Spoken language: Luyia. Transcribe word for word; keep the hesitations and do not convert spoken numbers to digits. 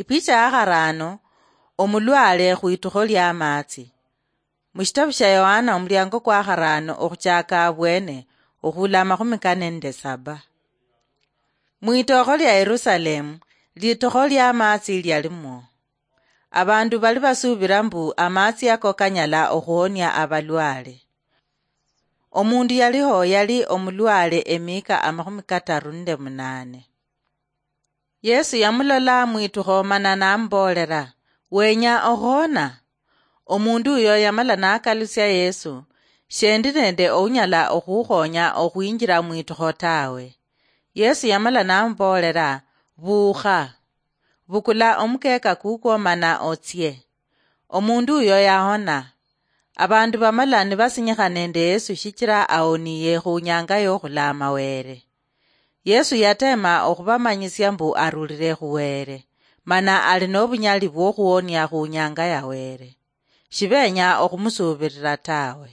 Ipicha ya kharaano, omulwale khwitukho lya maatsi. Mushitabu sha Yohana omuliango kwa kharaano okhuchaka abwene okhula amakhumi kane nende saba. Mwitokho lya Yerusalemu, litukho lya maatsi lyalimwo. Abandu bali basuubira mbu amaatsi ako kanyala okhuhonia abalwale. Omundu yaliho yali omulwale emiika amakhumi kataru nende munaane. Yesu yamulola mwitukho mana namuboolera, "Wenya okhuhona?" Omundu uyo yamala nakalusia Yesu, "Shendi nende ounyala okhukhonya okhwinjira mwitukho tawe." Yesu yamala namuboolera, "Buukha, bukula omukeeka kukwo mana otsie." Omundu uyo yahona. Abandu bamala nibasinyikha nende Yesu shichira awoniye khunyanga yokhulaama Were. Yesu yatema okhubamanyisia mbu arulire khu Were, mana ali nobunyali bwokhuwonia khunyanga ya Were. Shibenya okhumusuubirira tawe.